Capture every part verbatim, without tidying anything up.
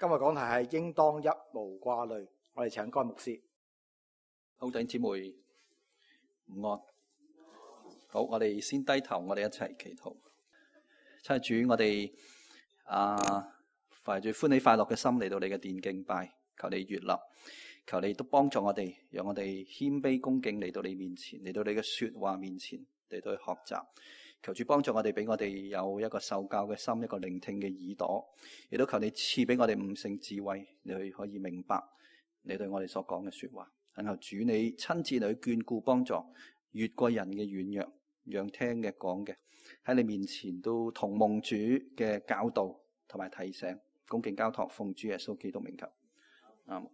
今日講題係應當一無掛慮，我哋請該牧師。好，弟兄姊妹午安。好，我哋先低頭，我哋一齊祈禱。親愛的主，我哋啊懷住歡喜快樂嘅心嚟到你嘅殿敬拜，求你悅納，求你都幫助我哋，讓我哋謙卑恭敬嚟到你面前，嚟到你嘅說話面前嚟到去學習。求主幫助我哋，俾我哋有一個受教嘅心，一個聆聽嘅耳朵，亦都求你賜俾我哋悟性智慧，你去可以明白你對我哋所講嘅說話。然後主你親自嚟去眷顧幫助，越過人嘅軟弱，讓聽嘅講嘅喺你面前都同蒙主嘅教導同埋提醒，恭敬交託，奉主耶穌基督名求。啱、嗯。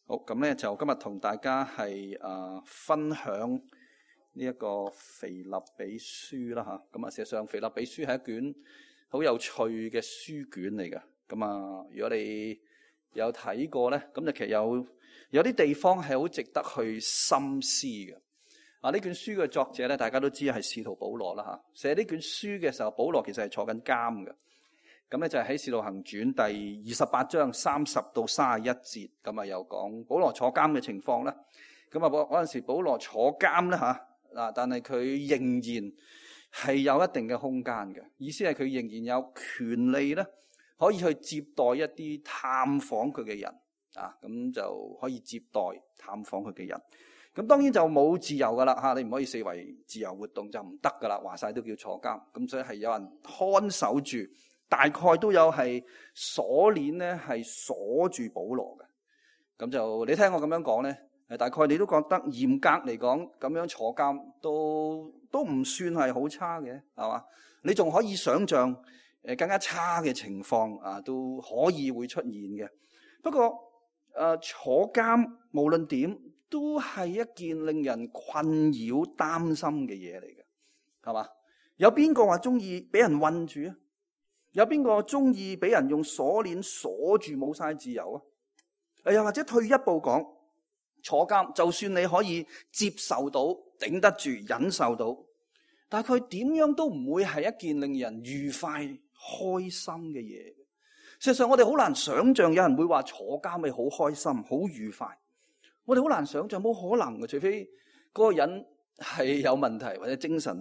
好，咁咧就今日同大家係誒、呃、分享呢一個腓立比書啦吓，咁啊，事實上腓立比書係一卷好有趣嘅書卷嚟嘅。咁啊，如果你有睇過咧，咁就其實有有啲地方係好值得去深思嘅。啊，呢卷書嘅作者咧，大家都知係使徒保羅啦吓。寫呢卷書嘅時候，保羅其實係坐緊監嘅。咁咧就係喺《使徒行傳》第二十八章三十到三十一節，咁啊又講保羅坐監嘅情況啦。咁啊，嗰陣時保羅坐監咧吓。嗱，但係佢仍然係有一定嘅空間嘅，意思係佢仍然有權利咧，可以去接待一啲探訪佢嘅人啊，咁就可以接待探訪佢嘅人。咁當然就冇自由噶啦嚇，你唔可以視為自由活動就唔得噶啦，話晒都叫坐監。咁所以係有人看守住，大概都有係鎖鏈咧，係鎖住保羅嘅。咁就你聽我咁樣講咧。大概你都覺得嚴格嚟講，咁樣坐監都都唔算係好差嘅，係嘛？你仲可以想象誒更加差嘅情況啊，都可以會出現嘅。不過誒、呃、坐監無論點都係一件令人困擾、擔心嘅嘢嚟嘅，係嘛？有邊個話中意俾人困住啊？有邊個中意俾人用鎖鏈鎖住冇晒自由啊？誒又或者退一步講。坐監，就算你可以接受到、頂得住、忍受到，但係佢點樣都唔會係一件令人愉快、開心嘅嘢。事實上，我哋好難想象有人會話坐監咪好開心、好愉快。我哋好難想象，冇可能嘅，除非嗰個人係有問題或者精神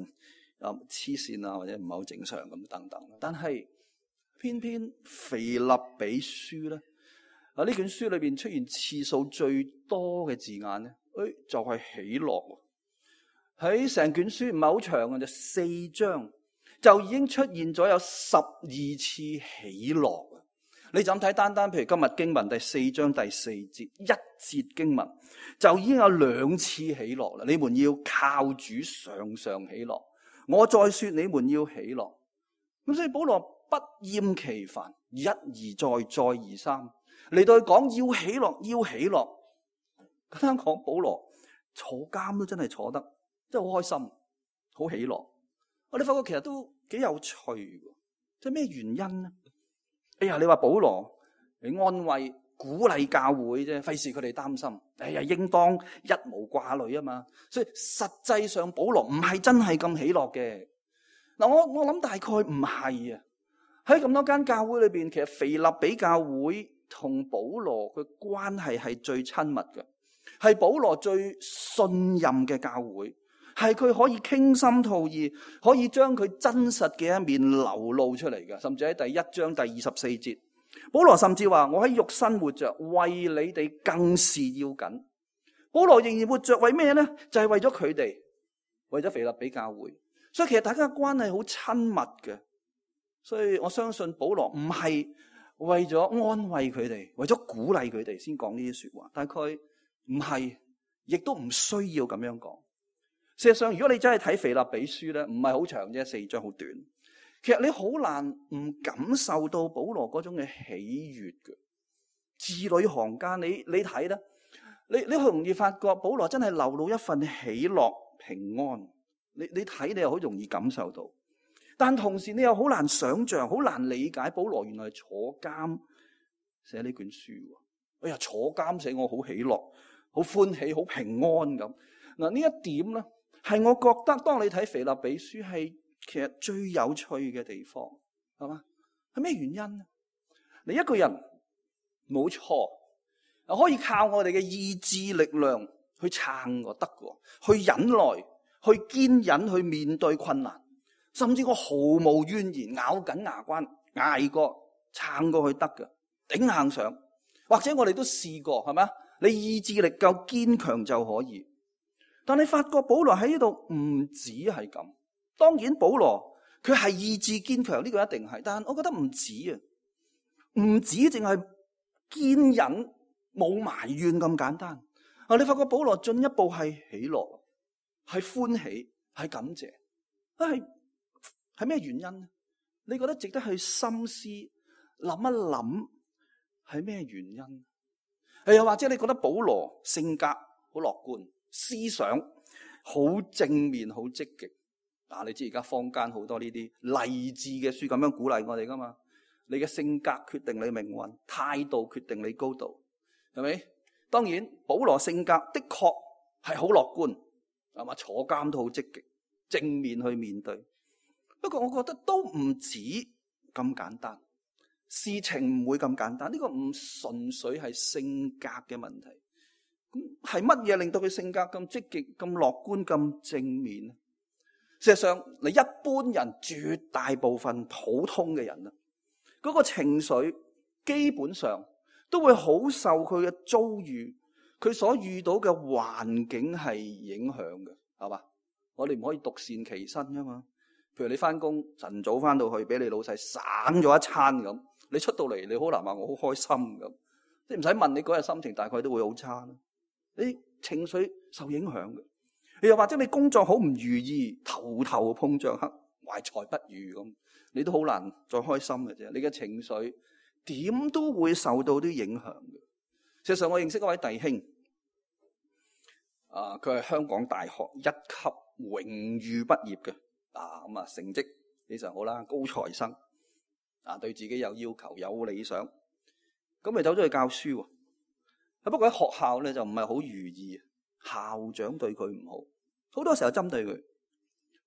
啊黐線啊，或者唔係好正常咁等等。但係偏偏腓立比書咧。啊！呢卷書裏邊出現次數最多嘅字眼咧，誒就係喜樂。喺成卷書唔係好長嘅，就四章就已經出現咗有十二次喜樂。你就咁睇，單單譬如今日經文第四章第四節一節經文，就已經有兩次喜樂啦。你們要靠主常常喜樂。我再說你們要喜樂。咁所以保羅不厭其煩，一而再，再而三。嚟到去講要喜樂，要喜樂。簡單講，保羅坐監都真係坐得，真係好開心，好喜樂。我哋發覺其實都幾有趣嘅，即係咩原因呢？哎呀，你話保羅你安慰、鼓勵教會啫，費事佢哋擔心。哎呀，應當一無掛慮啊嘛。所以實際上保羅唔係真係咁喜樂嘅。嗱，我我諗大概唔係啊。喺咁多間教會裏邊，其實腓立比教會同保羅嘅關係係最親密嘅，係保羅最信任嘅教會，係佢可以傾心吐意，可以將佢真實嘅一面流露出嚟嘅。甚至喺第一章第二十四節，保羅甚至話：我喺肉身活着，為你哋更是要緊。保羅仍然活着，為咩呢？就係為咗佢哋，為咗腓立比教會。所以其實大家嘅關係好親密嘅。所以我相信保羅唔係為咗安慰佢哋，為咗鼓勵佢哋先講呢啲說話，大概唔係，亦都唔需要咁樣講。事實上，如果你真係睇腓立比書咧，唔係好長啫，四章好短。其實你好難唔感受到保羅嗰種嘅喜悅嘅。字裏行間，你你睇啦，你你好容易發覺保羅真係流露一份喜樂平安。你你睇，你又好容易感受到。但同時你又好難想象，好難理解保羅原來係坐監寫呢卷書。哎呀，坐監寫我好喜樂、好歡喜、好平安咁。嗱，呢一點咧，係我覺得當你睇腓立比書係其實最有趣嘅地方，係嘛？係咩原因呢？你一個人冇錯，可以靠我哋嘅意志力量去撐我得嘅，去忍耐，去堅忍，去面對困難，甚至我毫無怨言，咬緊牙關捱過撐過去得嘅，頂硬上。或者我哋都試過，係咪啊？你意志力夠堅強就可以。但你發覺保羅喺呢度唔止係咁。當然保羅佢係意志堅強，呢個一定係，但係我覺得唔止啊，唔止淨係堅忍冇埋怨咁簡單。啊，你發覺保羅進一步係喜樂，係歡喜，係感謝。啊，係係咩原因呢？你覺得值得去深思諗一諗？係咩原因？又或者你覺得保羅性格好樂觀，思想好正面，好積極？啊，你知而家坊間好多呢啲勵志嘅書咁樣鼓勵我哋噶嘛？你嘅性格決定你命運，態度決定你高度，係咪？當然，保羅性格的確係好樂觀，係嘛？坐監都好積極，正面去面對。不過我覺得都唔止咁簡單。事情唔會咁簡單，呢個唔純粹係性格嘅問題。咁係乜嘢令到佢性格咁積極、咁樂觀、咁正面呢？事實上，你一般人絕大部分普通嘅人啊，嗰個情緒基本上都會好受佢嘅遭遇、佢所遇到嘅環境係影響嘅，係嘛？我哋唔可以獨善其身噶嘛。譬如你翻工晨早翻到去，俾你老細省咗一餐咁。你出到嚟，你好難話我好開心咁，你唔使問，你嗰日心情大概都會好差，你情緒受影響嘅。又或者你工作好唔如意，頭頭碰着黑，懷才不遇咁，你都好難再開心嘅啫。你嘅情緒點都會受到啲影響嘅。事實上，我認識一位弟兄，啊，佢係香港大學一級榮譽畢業嘅，啊咁啊成績非常好啦，高材生。啊，對自己有要求，有理想，咁咪走咗去教書喎。啊，不過喺學校咧就唔係好如意，校長對佢唔好，好多時候針對佢，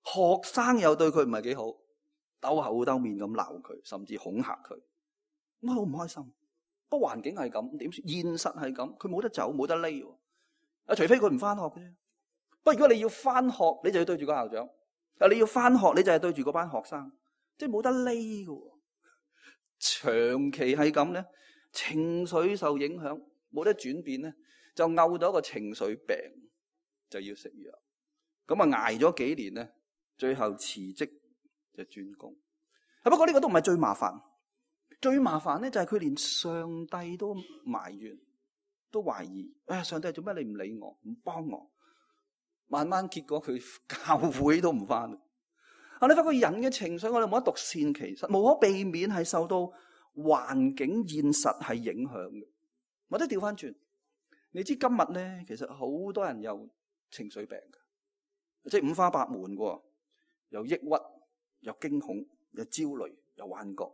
學生又對佢唔係幾好，兜口兜面咁鬧佢，甚至恐嚇佢，咁好唔開心。不過環境係咁，點算？現實係咁，佢冇得走，冇得匿。啊，除非佢唔翻學嘅啫。不過如果你要翻學，你就要對住個校長；啊，你要翻學，你就係對住嗰班學生，即係冇得匿嘅。長期係咁咧，情緒受影響，冇得轉變咧，就拗到一個情緒病，就要食藥。咁啊挨咗幾年咧，最後辭職就轉工。不過呢個都唔係最麻煩，最麻煩咧就係佢連上帝都埋怨，都懷疑。哎呀，上帝做咩你唔理我，唔幫我？慢慢結果佢教會都唔翻。啊！你發覺人嘅情緒，我哋冇得獨善其身，無可避免係受到環境現實係影響嘅。或者調翻轉，你知今日咧，其實好多人有情緒病嘅，即係五花八門嘅，有抑鬱，有驚恐，有焦慮，有幻覺，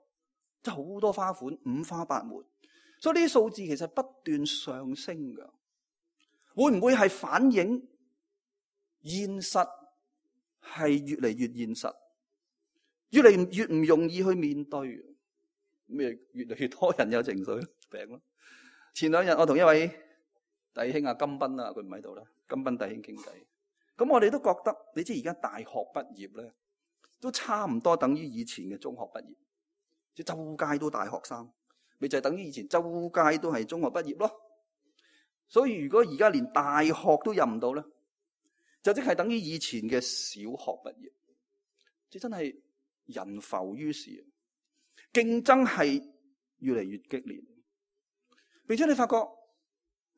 即係好多花款，五花八門。所以呢啲數字其實不斷上升嘅，會唔會係反映現實？係越嚟越現實，越嚟越唔容易去面對，咩越嚟越多人有情緒病咯。前兩日我同一位弟兄啊金斌啊，佢唔喺度啦，金斌弟兄傾偈，咁我哋都覺得，你知而家大學畢業咧，都差唔多等於以前嘅中學畢業，即係周街都大學生，咪就係等於以前周街都係中學畢業咯。所以如果而家連大學都入唔到咧，就即係等於以前嘅小學畢業，即真係人浮於事，競爭係越嚟越激烈。並且你發覺，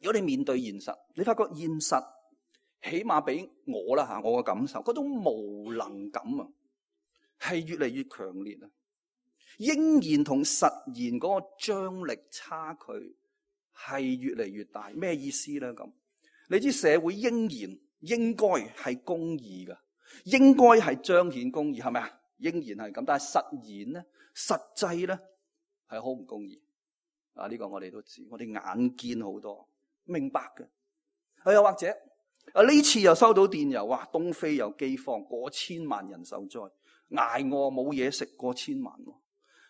如果你面對現實，你發覺現實起碼俾我啦吓，我嘅感受，嗰種無能感啊，係越嚟越強烈啊！應然同實然嗰個張力差距係越嚟越大。咩意思咧？咁你知社會應然應該係公義嘅，應該係彰顯公義，係咪啊？應然係咁，但係實然咧、實際咧係好唔公義啊！呢個我哋都知，我哋眼見好多，明白嘅。又或者啊，呢次又收到電郵，哇！東非有饑荒，過千萬人受災，挨餓冇嘢食，過千萬。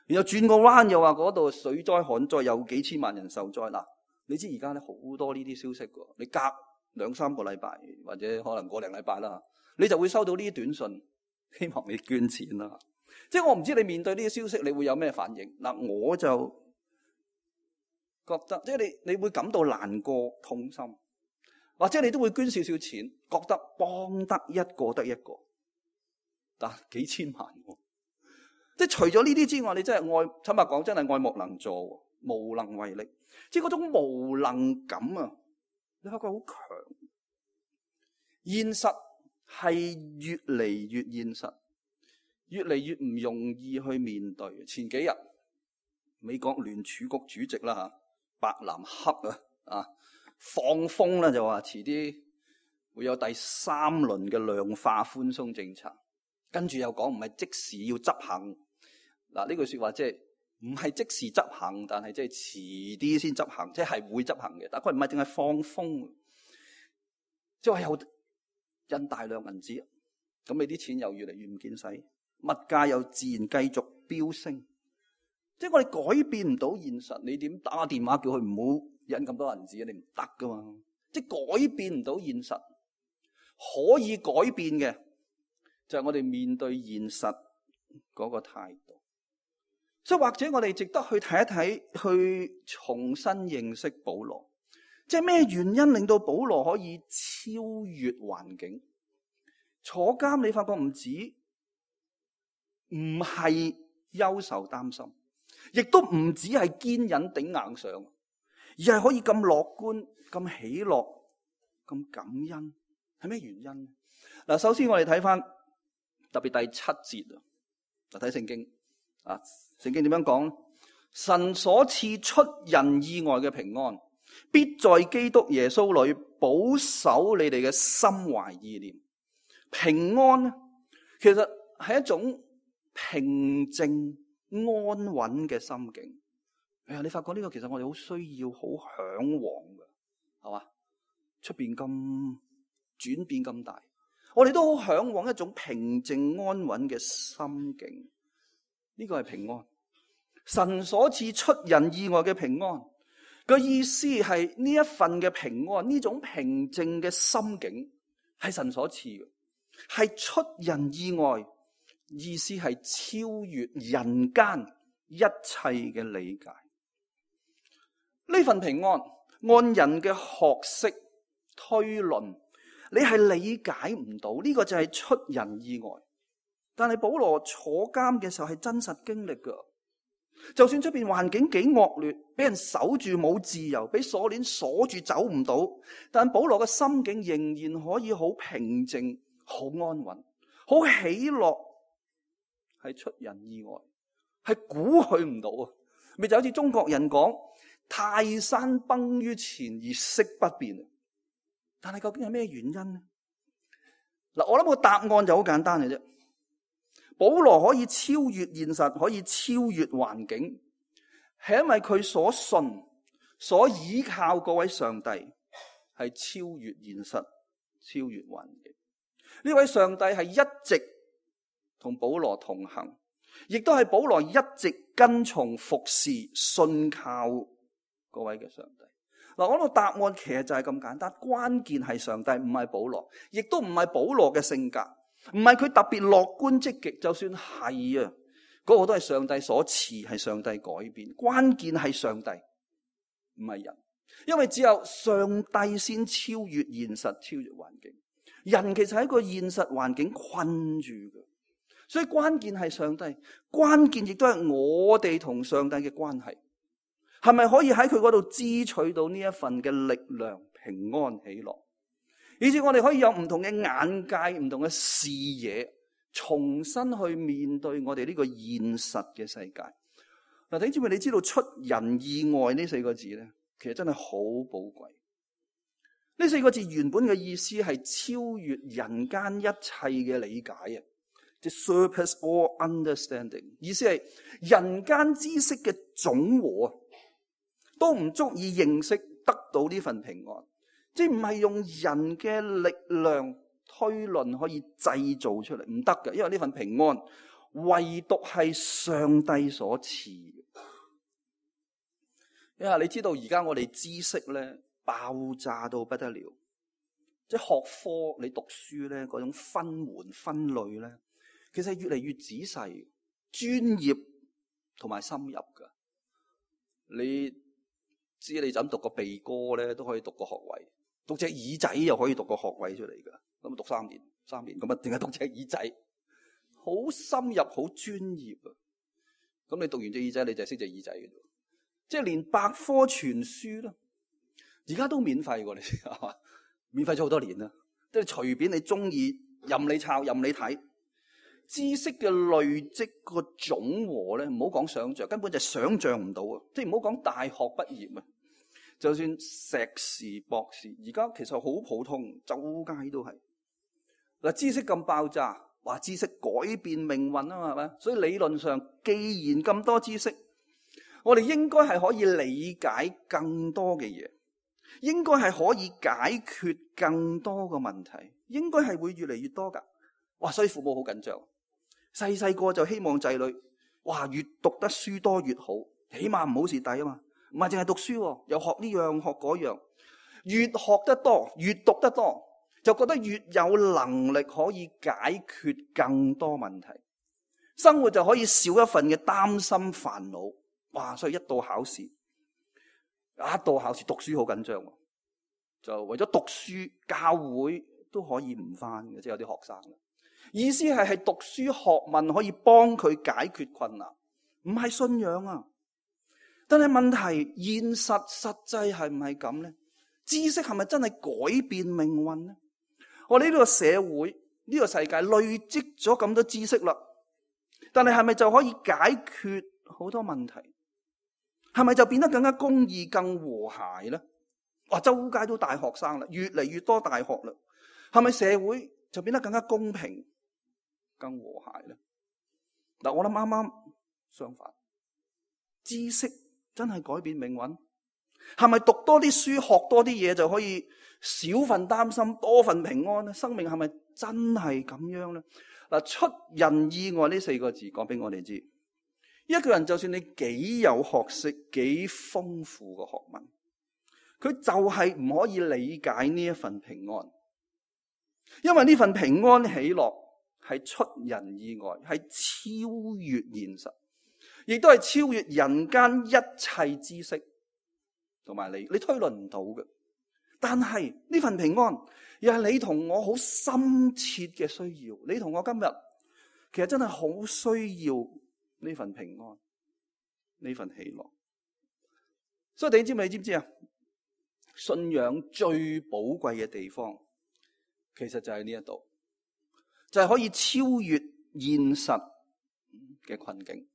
然後轉個彎又話嗰度水災旱災，有幾千萬人受災。嗱，你知而家咧好多呢啲消息㗎，你隔兩三個禮拜或者可能個零禮拜啦，你就會收到呢啲短信，希望你捐錢啦。即係我唔知你面對呢啲消息你會有咩反應。嗱，我就覺得即係你你會感到難過痛心，或者你都會捐少少錢，覺得幫得一個得一個，但幾千萬喎。即係除咗呢啲之外，你真係愛，坦白講真係愛莫能助，無能為力。即係嗰種無能感啊，你發覺好強。現實係越嚟越現實，越嚟越唔容易去面對。前幾日美國聯儲局主席啦吓，伯南克啊啊放風啦，就話遲啲會有第三輪嘅量化寬鬆政策，跟住又講唔係即時要執行。嗱，呢句說話即係唔係即時執行，但係即係遲啲先執行，即係會執行嘅。但係佢唔係淨係放風，即係話有印大量銀紙，咁你啲錢又越嚟越唔見使，物價又自然繼續飆升。即係我哋改變唔到現實，你點打個電話叫佢唔好印咁多銀紙啊？你唔得噶嘛！即係改變唔到現實，可以改變嘅就係我哋面對現實嗰個態度。所以或者我哋值得去睇一睇，去重新認識保羅。即係咩原因令到保羅可以超越環境？坐監你發覺唔止唔係憂愁擔心，亦都唔止係堅忍頂硬上，而係可以咁樂觀、咁喜樂、咁感恩。係咩原因？嗱，首先我哋睇翻特別第七節啊，就睇聖經啊。聖經點樣講？神所賜出人意外嘅平安，必在基督耶穌裏保守你哋嘅心懷意念。平安呢，其實係一種平靜安穩嘅心境。哎呀，你發覺呢個其實我哋好需要、好向往嘅，係嘛？出邊咁轉變咁大，我哋都好向往一種平靜安穩嘅心境。呢個係平安，神所賜出人意外嘅平安。個意思係呢一份嘅平安，呢種平靜嘅心境係神所賜嘅，係出人意外。意思係超越人間一切嘅理解。呢份平安按人嘅學識推論，你係理解唔到，呢個就係出人意外。但係保羅坐監嘅時候係真實經歷噶，就算出邊環境幾惡劣，俾人守住冇自由，俾鎖鏈鎖住走唔到，但保羅嘅心境仍然可以好平靜、好安穩、好喜樂，係出人意外，係估佢唔到啊！咪就好似中國人講泰山崩於前而色不變，但係究竟係咩原因呢？嗱，我諗個答案就好簡單嘅啫。保羅可以超越現實，可以超越環境，係因為佢所信、所依靠嗰位上帝係超越現實、超越環境。呢位上帝係一直同保羅同行，亦都係保羅一直跟從服侍、信靠嗰位嘅上帝。嗱，我諗答案其實就係咁簡單，關鍵係上帝，唔係保羅，亦都唔係保羅嘅性格。唔係佢特別樂觀積極，就算係啊，嗰個都係上帝所賜，係上帝改變。關鍵係上帝，唔係人，因為只有上帝先超越現實、超越環境。人其實喺個現實環境困住嘅，所以關鍵係上帝，關鍵亦都係我哋同上帝嘅關係，係咪可以喺佢嗰度支取到呢一份嘅力量、平安、喜樂？以至我哋可以有唔同嘅眼界、唔同嘅視野，重新去面對我哋呢個現實嘅世界。嗱，弟兄姊妹，你知道出人意外呢四個字咧，其實真係好寶貴。呢四個字原本嘅意思係超越人間一切嘅理解啊，即係 surpass all understanding。意思係人間知識嘅總和啊，都唔足以認識得到呢份平安。即係唔係用人嘅力量推論可以製造出嚟，唔得嘅，因為呢份平安唯獨係上帝所賜嘅。因為你知道而家我哋知識咧爆炸到不得了，即係學科你讀書咧嗰種分門分類咧，其實越嚟越仔細、專業同埋深入噶。你知你就咁讀個鼻哥咧都可以讀個學位，讀隻耳仔又可以讀個學位出嚟噶。咁讀三年，三年咁啊，淨係讀隻耳仔，好深入、好專業啊！咁你讀完隻耳仔，你就識隻耳仔嘅啫。即係連百科全書啦，而家都免費喎，你知係嘛？免費咗好多年啦，即係隨便你中意，任你抄，任你睇。知識嘅累積個總和咧，唔好講想像，根本就想像唔到啊！即係唔好講大學畢業啊，就算碩士、博士，而家其實好普通，周街都係嗱。知識咁爆炸，話知識改變命運啊嘛，係咪？所以理論上，既然咁多知識，我哋應該係可以理解更多嘅嘢，應該係可以解決更多嘅問題，應該係會越嚟越多噶。哇！所以父母好緊張。細細個就希望仔女，哇，越讀得書多越好，起碼唔好蝕底啊嘛。唔係淨係讀書，又學呢樣學嗰樣，越學得多，越讀得多，就覺得越有能力可以解決更多問題，生活就可以少一份嘅擔心煩惱。哇！所以一到考試，一到考試讀書好緊張，就為咗讀書，教會都可以唔返嘅，即係有啲學生。意思係係讀書學問可以幫佢解決困難，唔係信仰啊。但係問題現實實際係唔係咁咧？知識係咪真係改變命運咧？我哋呢個社會呢個世界累積咗咁多知識啦，但係係咪就可以解決好多問題？係咪就變得更加公義、更和諧咧？哇！周街都大學生啦，越嚟越多大學啦，係咪社會就變得更加公平、更和諧咧？嗱，我諗啱啱相反，知識真係改變命運？係咪讀多啲書、學多啲嘢就可以少份擔心、多份平安咧？生命係咪真係咁樣咧？嗱，出人意外呢四個字講俾我哋知，一個人就算你幾有學識、幾豐富嘅學問，佢就係唔可以理解呢一份平安，因為呢份平安喜樂係出人意外，係超越現實，亦都係超越人間一切知識同埋你，你推論唔到嘅。但係呢份平安又係你同我好深切嘅需要，你同我今日其實真係好需要呢份平安，呢份喜樂。所以你知唔你知唔知啊？信仰最寶貴嘅地方，其實就係呢一度，就係可以超越現實嘅困境。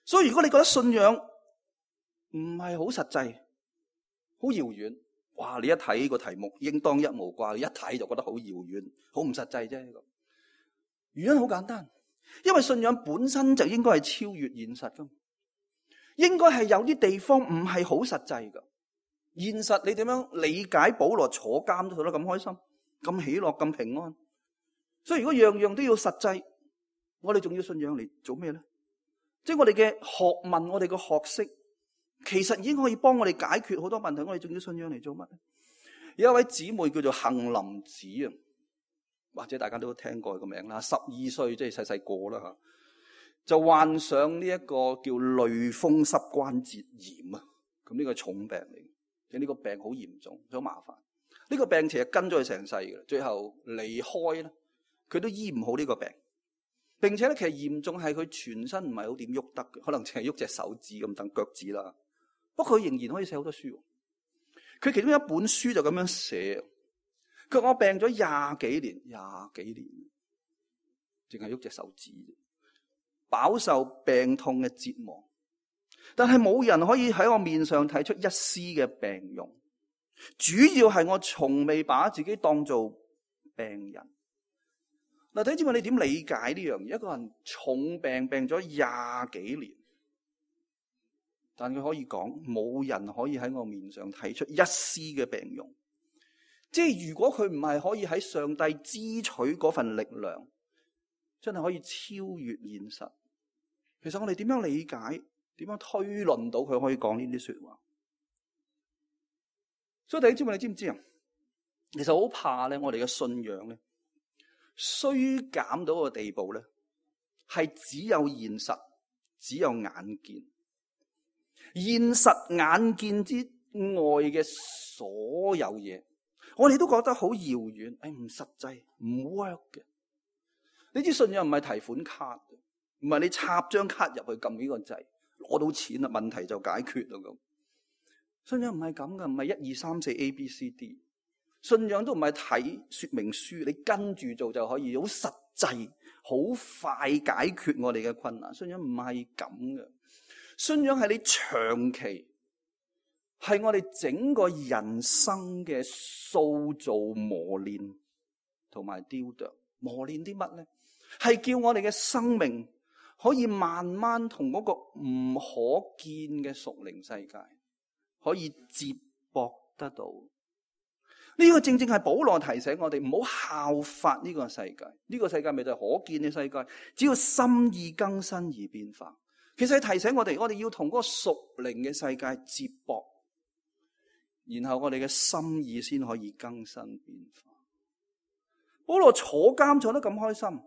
所以如果你覺得信仰唔係好實際、好遙遠，哇！你一睇個題目，應當一無掛，你一睇就覺得好遙遠、好唔實際啫。原因好簡單，因為信仰本身就應該係超越現實噶，應該係有啲地方唔係好實際噶。現實你點樣理解保羅坐監都做得咁開心、咁喜樂、咁平安？所以如果樣樣都要實際，我哋仲要信仰嚟做咩咧？即係我哋嘅學問、我哋嘅學識，其實已經可以幫我哋解決好多問題。我哋仲要信仰嚟做乜？有一位姊妹叫做杏林子啊，或者大家都聽過個名啦。十二歲即係細細個啦吓，就患上呢一個叫類風濕關節炎啊。咁呢個係重病嚟。呢個病好嚴重，好麻煩。呢個病其實跟咗佢成世嘅，最後離開咧，佢都醫唔好呢個病。並且咧，其實嚴重係佢全身唔係好點喐得嘅，可能淨係喐隻手指咁等腳趾啦。不過佢仍然可以寫好多書。佢其中一本書就咁樣寫：佢話我病咗廿幾年，廿幾年，淨係喐隻手指，飽受病痛嘅折磨。但係冇人可以喺我面上睇出一絲嘅病容，主要係我從未把自己當做病人。嗱，睇住你點理解呢樣嘢？一個人重病病咗廿幾年，但佢可以講冇人可以喺我面上睇出一絲嘅病容。即係如果佢唔係可以喺上帝支取嗰份力量，真係可以超越現實。其實我哋點樣理解，點樣推論到佢可以講呢啲說話？所以弟兄姊妹，你知唔知啊？其實好怕咧，我哋嘅信仰咧衰減到個地步咧，係只有現實，只有眼見。現實眼見之外嘅所有嘢，我哋都覺得好遙遠，誒唔實際，唔 work 嘅。呢啲信仰唔係提款卡，唔係你插張卡入去撳呢個掣，攞到錢啦，問題就解決啦咁。信仰唔係咁噶，唔係一二三四 A B C D。信仰都唔係睇說明書，你跟住做就可以好實際、好快解決我哋嘅困難。信仰唔係咁嘅，信仰係你長期，係我哋整個人生嘅塑造、磨練同埋雕琢。磨練啲乜咧？係叫我哋嘅生命可以慢慢同嗰個唔可見嘅屬靈世界可以接駁得到。呢個正正係保羅提醒我哋唔好效法呢個世界。呢個世界咪就係可見嘅世界，只要心意更新而變化。其實係提醒我哋，我哋要同嗰個屬靈嘅世界接駁，然後我哋嘅心意先可以更新變化。保羅坐監坐得咁開心，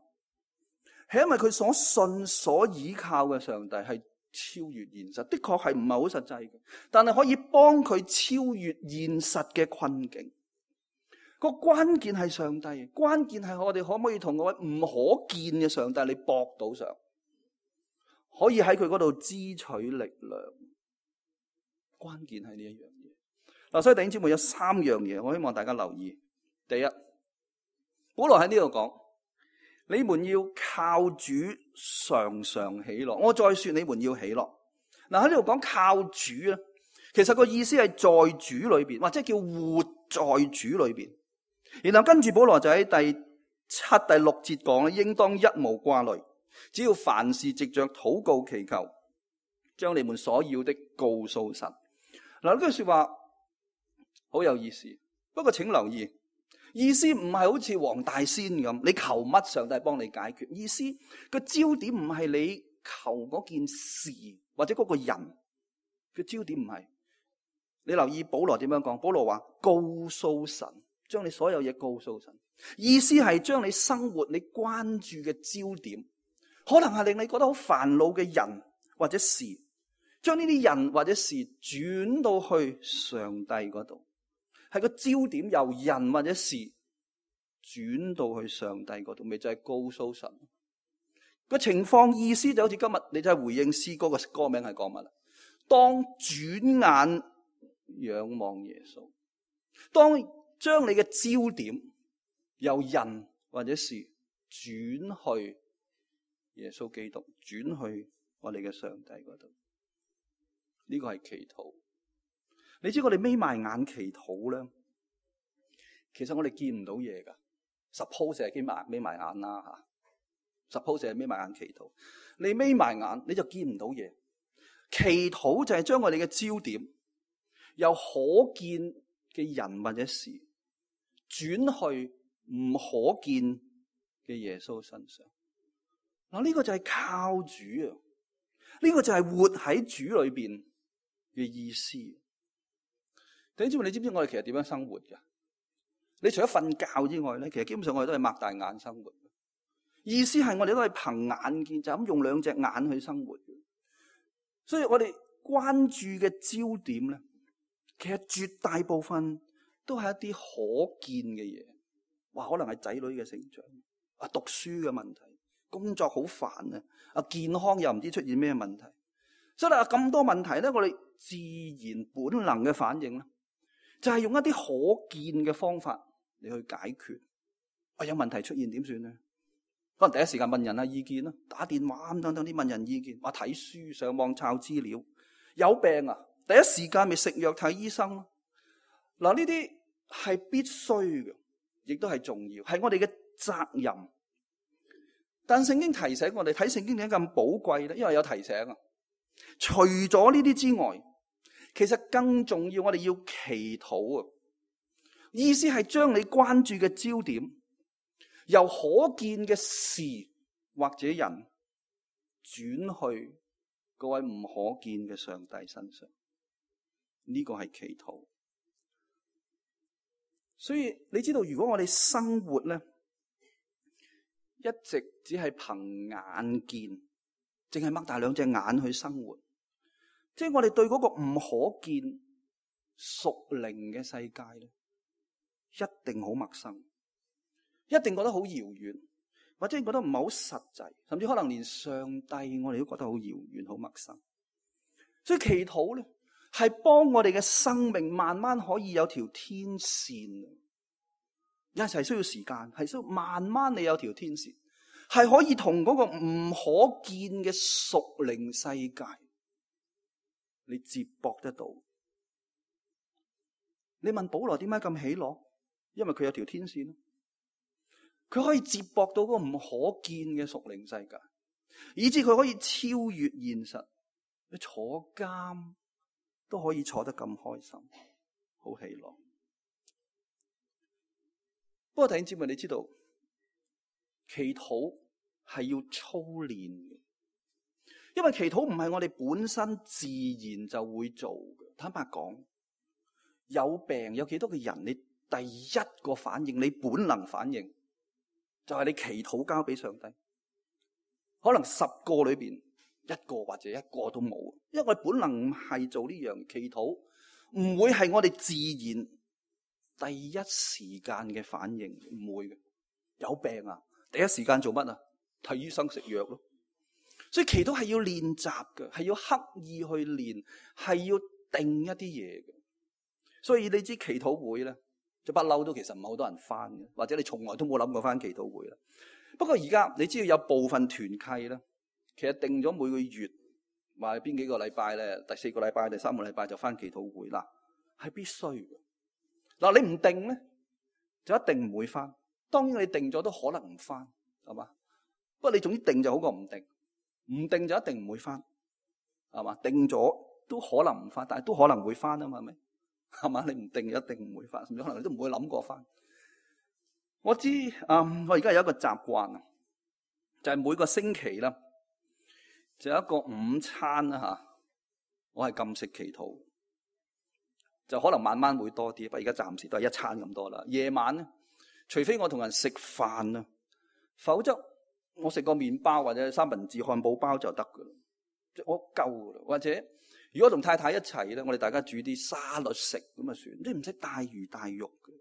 係因為佢所信所倚靠嘅上帝係超越現實，的確係唔係好實際嘅，但係可以幫佢超越現實嘅困境。個關鍵係上帝，關鍵係我哋可唔可以同嗰位唔可見嘅上帝你駁到上，可以喺佢嗰度支取力量。關鍵係呢一樣嘢。嗱，所以弟兄姊妹有三樣嘢，我希望大家留意。第一，保羅喺呢度講，你們要靠主常常喜樂。我再說，你們要喜樂。嗱，喺呢度講靠主咧，其實個意思係在主裏邊，或者叫活在主裏邊。然後跟住保羅就喺第七、第六節講咧，應當一無掛慮，只要凡事藉着禱告祈求，將你們所要的告訴神。嗱，呢句說話好有意思，不過請留意，意思唔係好似黃大仙咁，你求乜上帝幫你解決。意思個焦點唔係你求嗰件事或者嗰個人，個焦點唔係。你留意保羅點樣講？保羅話告訴神。將你所有嘢告訴神，意思係將你生活你關注嘅焦點，可能係令你覺得好煩惱嘅人或者事，將呢啲人或者事轉到去上帝嗰度，係個焦點由人或者事轉到去上帝嗰度，咪就係告訴神個情況。意思就好似今日你就係回應詩歌嘅歌名係講乜啦？當轉眼仰望耶穌，當將你嘅焦點由人或者事轉去耶穌基督，轉去我哋嘅上帝嗰度，呢個係祈禱。你知我哋眯埋眼祈禱咧，其實我哋見唔到嘢噶。Suppose 係眯埋眯埋眼啦吓，Suppose 係眯埋眼祈禱，你眯埋眼你就見唔到嘢。祈禱就係將我哋嘅焦點由可見嘅人或者事轉去唔可見嘅耶穌身上。嗱，呢個就係靠主啊！呢個就係活喺主裏邊嘅意思。弟兄姊妹，你知唔知我哋其實點樣生活噶？你除咗瞓覺之外咧，其實基本上我哋都係擘大眼生活。意思係我哋都係憑眼見，就咁用兩隻眼去生活。所以我哋關注嘅焦點咧，其實絕大部分都係一啲可見嘅嘢，哇！可能係仔女嘅成長，啊讀書嘅問題，工作好煩啊，啊健康又唔知出現咩問題，所以啊咁多問題咧，我哋自然本能嘅反應咧，就係用一啲可見嘅方法嚟去解決。啊有問題出現點算咧？可能第一時間問人啊意見啦，打電話咁等等啲問人意見，話睇書、上網抄資料，有病啊，第一時間咪食藥睇醫生咯。嗱，呢啲係必須嘅，亦都係重要，係我哋嘅責任。但聖經提醒我哋，睇聖經點解咁寶貴咧？因為有提醒啊。除咗呢啲之外，其實更重要，我哋要祈禱啊。意思係將你關注嘅焦點由可見嘅事或者人轉去嗰位唔可見嘅上帝身上，呢個係祈禱。所以你知道，如果我哋生活咧，一直只係憑眼見，淨係擘大兩隻眼去生活，即係我哋對嗰個唔可見屬靈嘅世界咧，一定好陌生，一定覺得好遙遠，或者覺得唔係好實際，甚至可能連上帝我哋都覺得好遙遠、好陌生。所以祈禱咧，係幫我哋嘅生命慢慢可以有條天線，有陣時係需要時間，係需要慢慢你有條天線，係可以同嗰個唔可見嘅屬靈世界你接駁得到。你問保羅點解咁喜樂？因為佢有條天線，佢可以接駁到嗰個唔可見嘅屬靈世界，以致佢可以超越現實。你坐監都可以坐得咁開心，好喜樂。不過弟兄姊妹，你知道祈禱係要操練嘅，因為祈禱唔係我哋本身自然就會做嘅。坦白講，有病有幾多個人，你第一個反應，你本能反應就係你祈禱交俾上帝。可能十個裏邊一個或者一個都冇，因為我哋本能唔係做呢樣祈禱，唔會係我哋自然第一時間嘅反應，唔會嘅。有病啊，第一時間做乜啊？睇醫生食藥咯。所以祈禱係要練習嘅，係要刻意去練，係要定一啲嘢嘅。所以你知祈禱會咧，就不嬲都其實唔係好多人返嘅，或者你從來都冇諗過返祈禱會啦。不過而家你知道有部分團契咧，其實定咗每個月話邊幾個禮拜咧，第四個禮拜、第三個禮拜就返祈禱會啦，係必須嘅。嗱，你唔定咧，就一定唔會返。當然你定咗都可能唔返，係嘛？不過你總之定就好過唔定，唔定就一定唔會返，係嘛？定咗都可能唔返，但係都可能會返啊嘛，係咪？係嘛？你唔定就一定唔會返，甚至可能你都唔會諗過返。我知，嗯，我而家有一個習慣啊，就係每個星期啦，就有一個午餐啦吓，我係禁食祈禱，就可能慢慢會多啲，不過而家暫時都係一餐咁多啦。夜晚咧，除非我同人食飯啊，否則我食個麵包或者三文治、漢堡包就得噶啦，即係我夠噶啦。或者如果同太太一齊咧，我哋大家煮啲沙律食咁啊算，即係唔使大魚大肉嘅。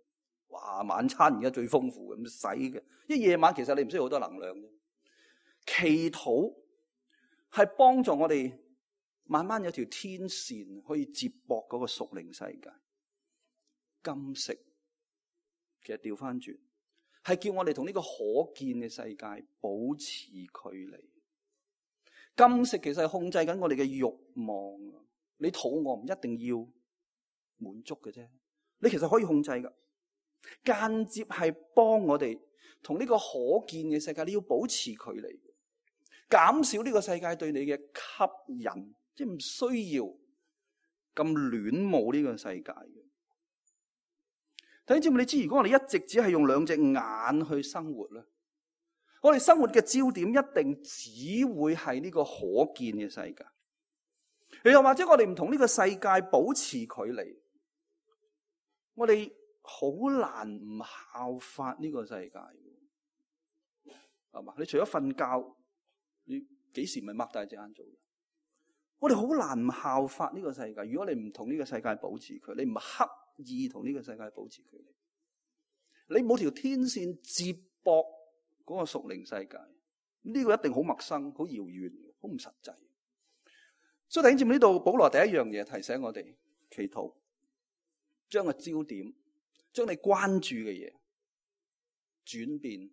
哇！晚餐而家最豐富嘅，唔使嘅。因為夜晚其實你唔需要好多能量嘅。祈禱係幫助我哋慢慢有條天線可以接駁嗰個屬靈世界。禁食其實調翻轉係叫我哋同呢個可見嘅世界保持距離。禁食其實係控制緊我哋嘅慾望。你肚餓唔一定要滿足嘅啫，你其實可以控制㗎。間接係幫我哋同呢個可見嘅世界，你要保持距離，減少呢個世界對你嘅吸引，即係唔需要咁戀慕呢個世界嘅。弟兄姊妹，你知如果我哋一直只係用兩隻眼去生活咧，我哋生活嘅焦點一定只會係呢個可見嘅世界。又或者我哋唔同呢個世界保持距離，我哋好難唔效法呢個世界，係嘛？你除咗瞓覺，你幾時咪擘大隻眼做？我哋好難唔效法呢個世界。如果你唔同呢個世界保持距離，你唔刻意同呢個世界保持距離，你冇條天線接駁嗰個屬靈世界，呢個一定好陌生、好遙遠、好唔實際。所以弟兄姊妹，呢度保羅第一樣嘢提醒我哋，祈禱將個焦點，將你關注嘅嘢轉變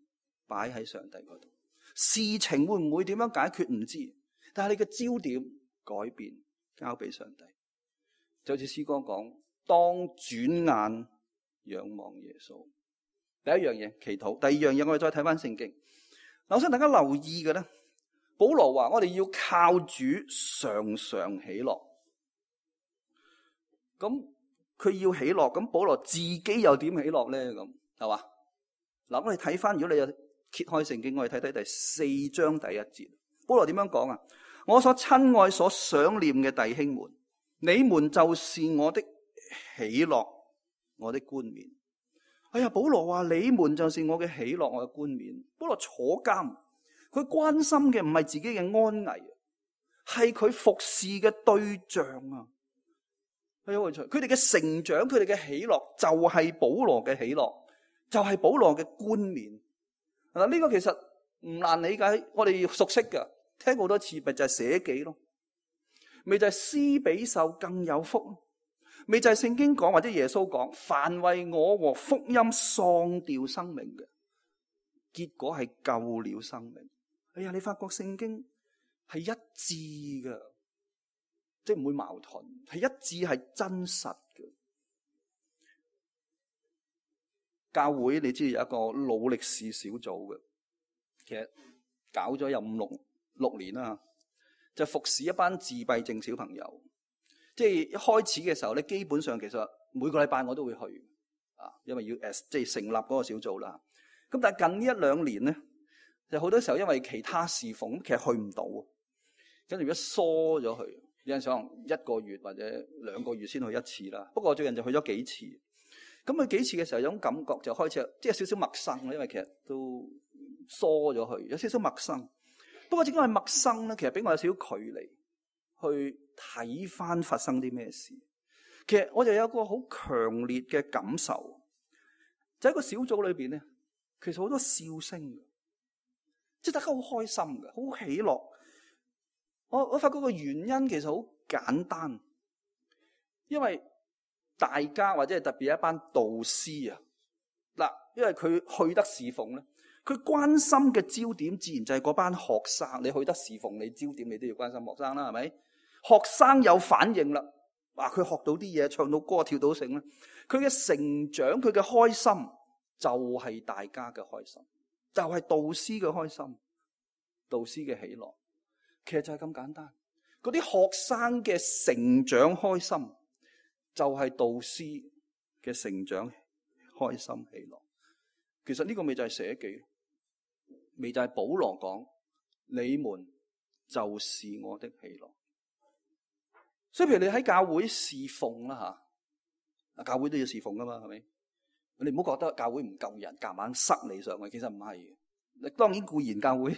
擺喺上帝嗰度。事情會唔會點樣解決唔知，但係你嘅焦點改變，交俾上帝。就好似詩歌講，當轉眼仰望耶穌。第一樣嘢祈禱，第二樣嘢我哋再睇翻聖經。嗱，我想大家留意嘅咧，保羅話我哋要靠主常常喜樂。咁佢要喜樂，咁保羅自己又點喜樂咧？咁係嘛？嗱，我哋睇翻，如果你有揭開聖經，我哋睇睇第四章第一節。保羅點樣講啊？我所親愛、所想念嘅弟兄們，你們就是我的喜樂，我的冠冕。哎呀，保羅話你們就是我嘅喜樂，我嘅冠冕。保羅坐監，佢關心嘅唔係自己嘅安危，係佢服侍嘅對象啊。係好有趣，佢哋嘅成長，佢哋嘅喜樂就係保羅嘅喜樂，就係保羅嘅冠冕。嗱，呢個其實唔難理解，我哋熟悉㗎，聽過好多次，咪就係捨己咯，咪就係施比受更有福，咪就係聖經講或者耶穌講，凡為我和福音喪掉生命嘅，結果係救了生命。哎呀，你發覺聖經係一致嘅，即係唔會矛盾，係一致，係真實嘅。教會你知道有一個努力士小組嘅，其實搞咗有五六六年啦，就服侍一班自閉症小朋友。即係一開始嘅時候咧，基本上其實每個禮拜我都會去啊，因為要誒即係成立嗰個小組啦。咁但係近呢一兩年咧，就好多時候因為其他侍奉，其實去唔到，跟住如果疏咗去，有陣時可能一個月或者兩個月先去一次啦。不過最近就去咗幾次。咁去幾次嘅時候，有種感覺就開始即係少少陌生啦，因為其實都疏咗去，有少少陌生。不過正因為陌生咧，其實俾我有少少距離去睇翻發生啲咩事。其實我就有個好強烈嘅感受，就喺個小組裏邊咧，其實好多笑聲嘅，即係大家好開心嘅，好喜樂。我我發覺個原因其實好簡單，因為大家或者係特別一班導師啊，嗱，因為佢去得侍奉咧，佢關心嘅焦點自然就係嗰班學生。你去得侍奉，你焦點你都要關心學生啦，係咪？學生有反應啦，哇！佢學到啲嘢，唱到歌，跳到繩咧，佢嘅成長，佢嘅開心就係大家嘅開心，就係導師嘅開心，導師嘅喜樂，其實就係咁簡單。嗰啲學生嘅成長開心，就係導師嘅成長開心喜樂。其實呢個咪就係捨己，咪就係保羅講，你們就是我的喜樂。所以譬如你喺教會侍奉啦吓，教會都要侍奉噶嘛，係咪？你唔好覺得教會唔夠人，夾硬塞你上去，其實唔係。當然固然教會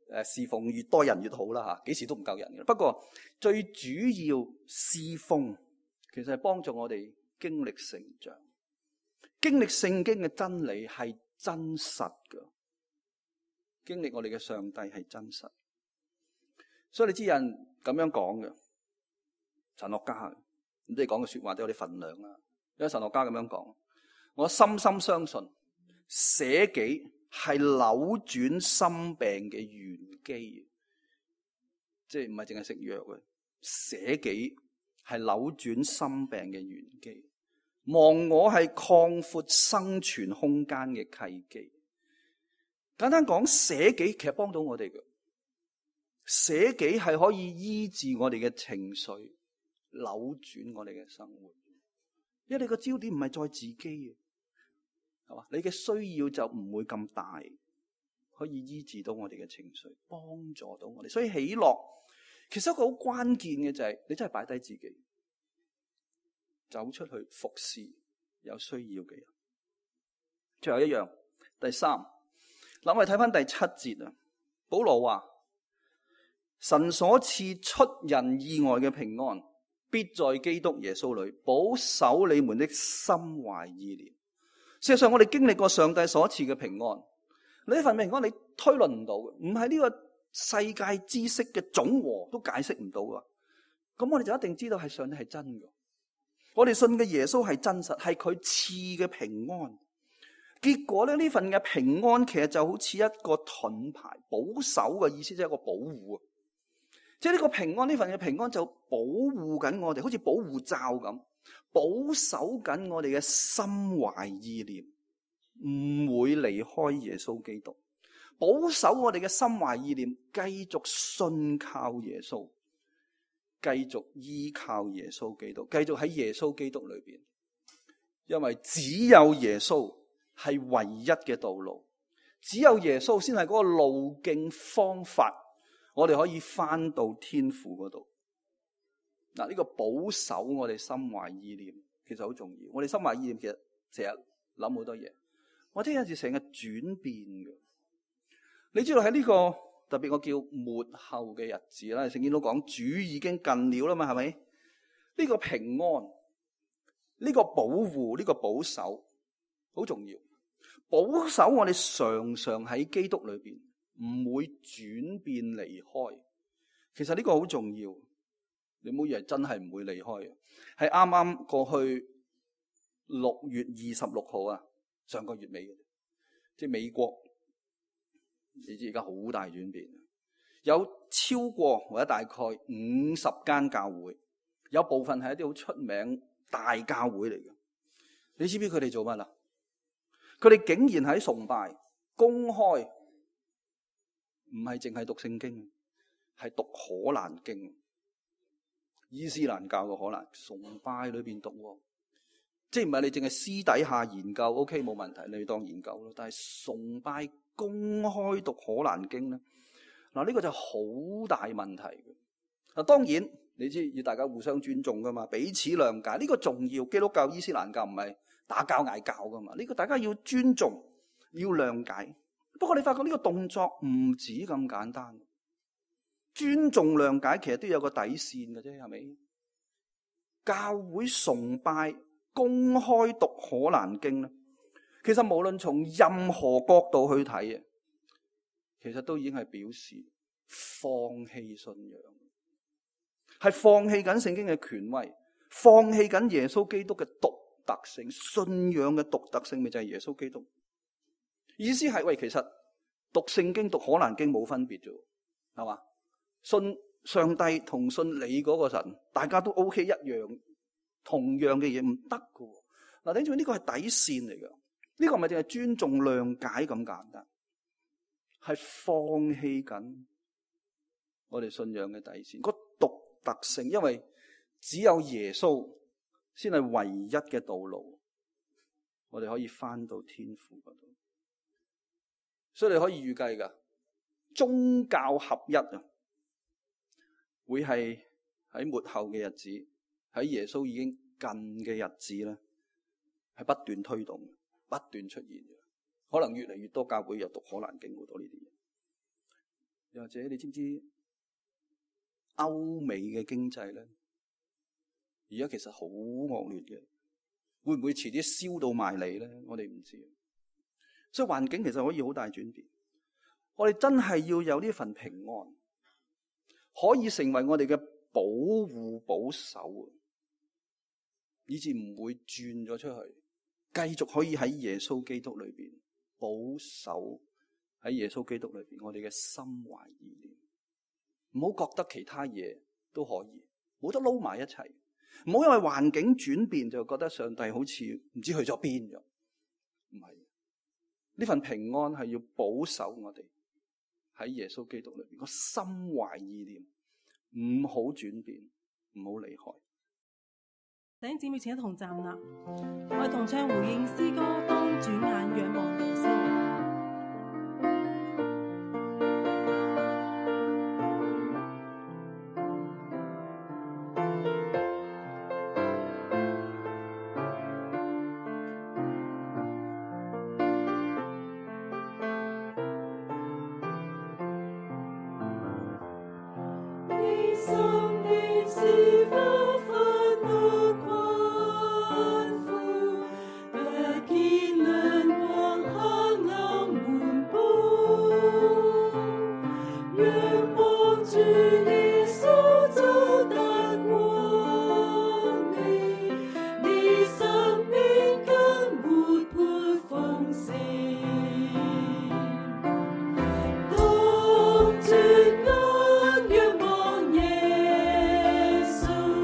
誒侍奉越多人越好啦吓，幾時都唔夠人嘅。不過最主要侍奉，其實係幫助我哋經歷成長，經歷聖經嘅真理係真實嘅，經歷我哋嘅上帝係真實。所以你知有人咁樣講嘅，神學家咁即係講嘅說話都有啲分量啦。有神學家咁樣講，我深深相信捨己係扭轉心病嘅玄機，即係唔係淨係食藥嘅，捨己係扭轉心病嘅玄機，忘我係擴闊生存空間嘅契機。簡單講，捨己其實幫到我哋嘅，捨己係可以醫治我哋嘅情緒，扭轉我哋嘅生活。因為你個焦點唔係在自己嘅，係嘛？你嘅需要就唔會咁大，可以醫治到我哋嘅情緒，幫助到我哋。所以喜樂其實一個好關鍵嘅就係你真係擺低自己，走出去服侍有需要嘅人。最後一樣，第三，嗱，我哋睇翻第七節啊。保羅話：神所賜出人意外嘅平安，必在基督耶穌裏保守你們的心懷意念。事實上，我哋經歷過上帝所賜嘅平安，呢份平安你推論唔到嘅，唔係呢個世界知識嘅總和都解釋唔到噶。咁我哋就一定知道係上帝係真嘅。我哋信嘅耶穌係真實，係佢賜嘅平安。結果咧，呢份嘅平安其實就好似一個盾牌，保守嘅意思即係一個保護。即係呢個平安，呢份嘅平安就保護緊我哋，好似保護罩咁，保守緊我哋嘅心懷意念，唔會離開耶穌基督。保守我哋嘅心懷意念，繼續信靠耶穌，繼續依靠耶穌基督，繼續喺耶穌基督裏邊。因為只有耶穌係唯一嘅道路，只有耶穌先係嗰個路徑方法，我哋可以翻到天父嗰度。嗱，呢個保守我哋心懷意念其實好重要。我哋心懷意念其實成日諗好多嘢，或者有時成日轉變嘅。你知道喺呢個特別我叫末後嘅日子啦，聖經都講主已經近了啦嘛，係咪？呢個平安，呢個保護，呢個保守好重要。保守我哋常常喺基督裏邊，唔會轉變離開。其實呢個好重要，你唔好以為真係唔會離開嘅。係啱啱過去六月二十六號啊，上個月尾嘅，即係美國，你知而家好大轉變，有超過或者大概五十間教會，有部分係一啲好出名大教會嚟嘅。你知唔知佢哋做乜啊？佢哋竟然喺崇拜公開，唔係淨係讀聖經，係讀可蘭經，伊斯蘭教嘅可蘭崇拜裏邊讀，即係唔係你淨係私底下研究 ，OK 冇問題，你當研究咯。但係崇拜公開讀可蘭經咧，嗱呢個就好大問題嘅。嗱當然你知要大家互相尊重噶嘛，彼此諒解呢個重要。基督教、伊斯蘭教唔係打交嗌交噶嘛，呢個大家要尊重，要諒解。不過你發覺呢個動作唔止咁簡單，尊重諒解其實都有個底線嘅啫，係咪？教會崇拜公開讀可蘭經咧，其實無論從任何角度去睇啊，其實都已經係表示放棄信仰，係放棄緊聖經嘅權威，放棄緊耶穌基督嘅獨特性，信仰嘅獨特性咪就係耶穌基督。意思係喂，其實讀聖經讀可蘭經冇分別啫，係嘛？信上帝同信你嗰個神，大家都 OK 一樣，同樣嘅嘢唔得噶。嗱，頂住呢個係底線嚟噶，呢個唔係淨係尊重諒解咁簡單，係放棄緊我哋信仰嘅底線，個獨特性，因為只有耶穌先係唯一嘅道路，我哋可以翻到天父嗰度。所以你可以預計噶，宗教合一啊，會係喺末後嘅日子，喺耶穌已經近嘅日子咧，係不斷推動，不斷出現嘅。可能越嚟越多教會又讀可蘭經好多呢啲嘢。又或者你知唔知歐美嘅經濟咧，而家其實好惡劣嘅，會唔會遲啲燒到埋嚟咧？我哋唔知。所以環境其實可以好大轉變。我哋真係要有呢份平安，可以成為我哋嘅保護保守，以致唔會轉咗出去，繼續可以喺耶穌基督裏邊保守，喺耶穌基督裏邊我哋嘅心懷意念，唔好覺得其他嘢都可以，冇得撈埋一齊，唔好因為環境轉變就覺得上帝好似唔知去咗邊咗，唔係。呢份平安係要保守我哋喺耶穌基督裏邊個心懷意念，唔好轉變，唔好離開。弟兄姊妹，請一同站立，我哋同唱回應詩歌，當轉眼仰望耶穌。當轉眼仰望耶穌。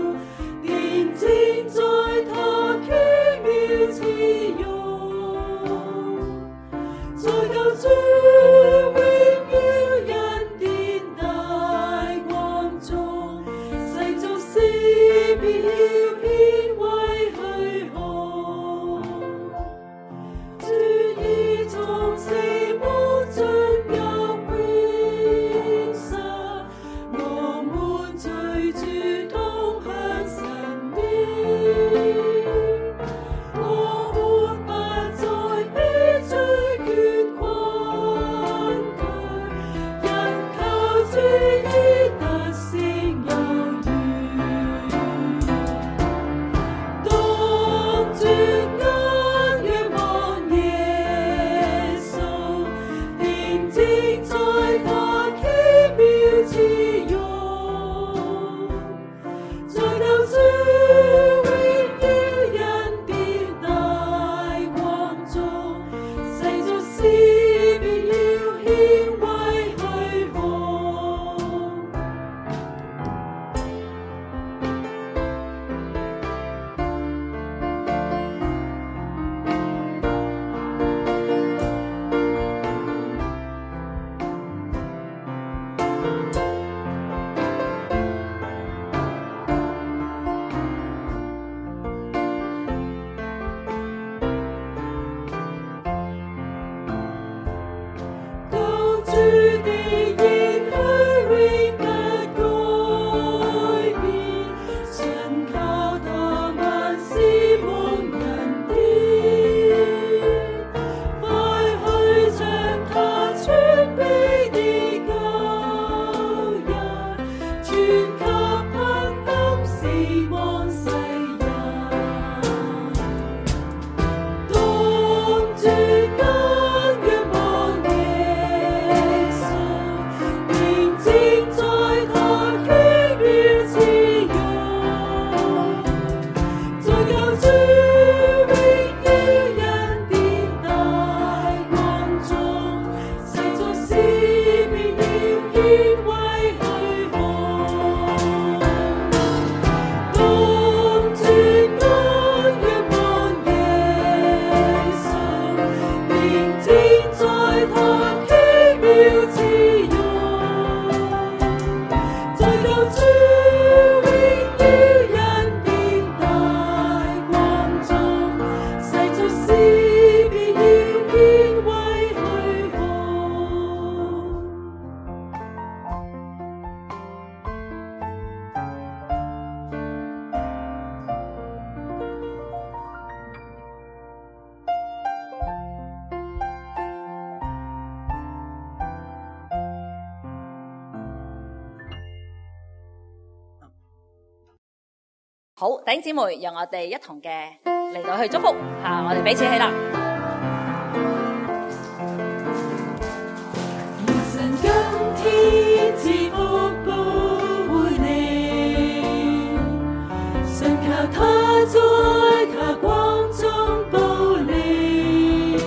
好，弟兄姊妹，讓我哋一同嘅嚟到去祝福吓，我哋彼此起立。神今天賜福報回你，信靠他在他光中保你，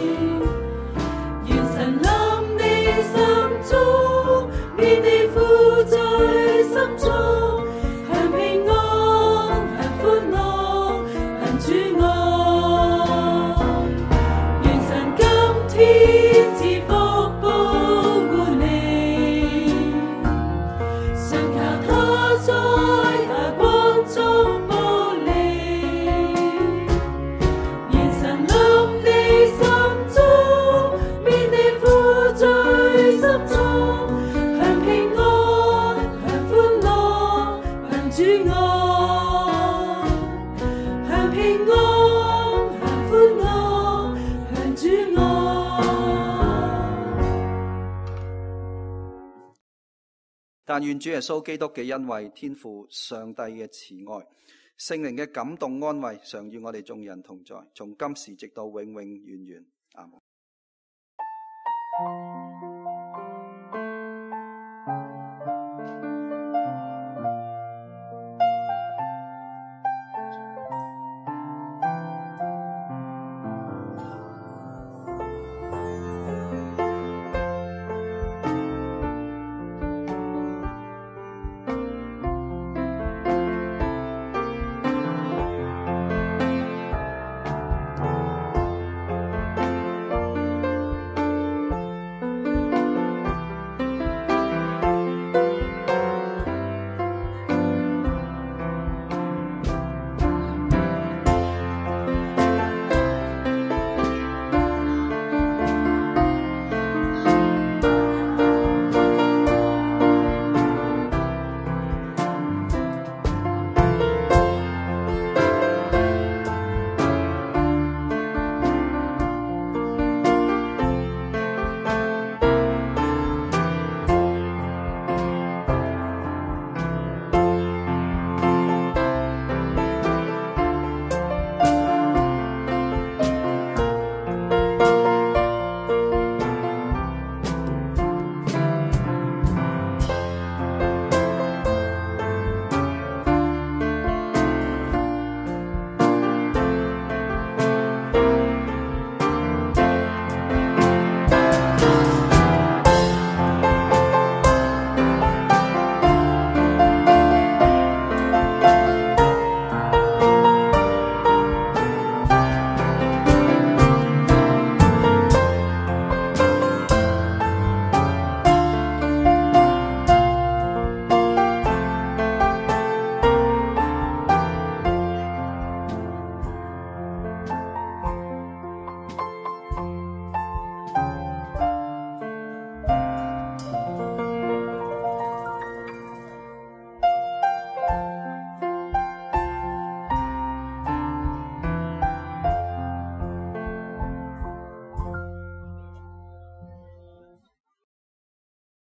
願神臨你心中，免你苦在心中，享平安，享歡樂，享主愛。願神今天賜福報顧你，信靠他在他光中保你，願神臨你心中，免你苦在心中，享平安，享歡樂，享主愛，享平安，享歡樂，享主愛。但願主耶穌基督嘅恩惠、天父上帝嘅慈愛、聖靈嘅感動安慰，常與我哋眾人同在，從今時直到永永遠遠。阿門。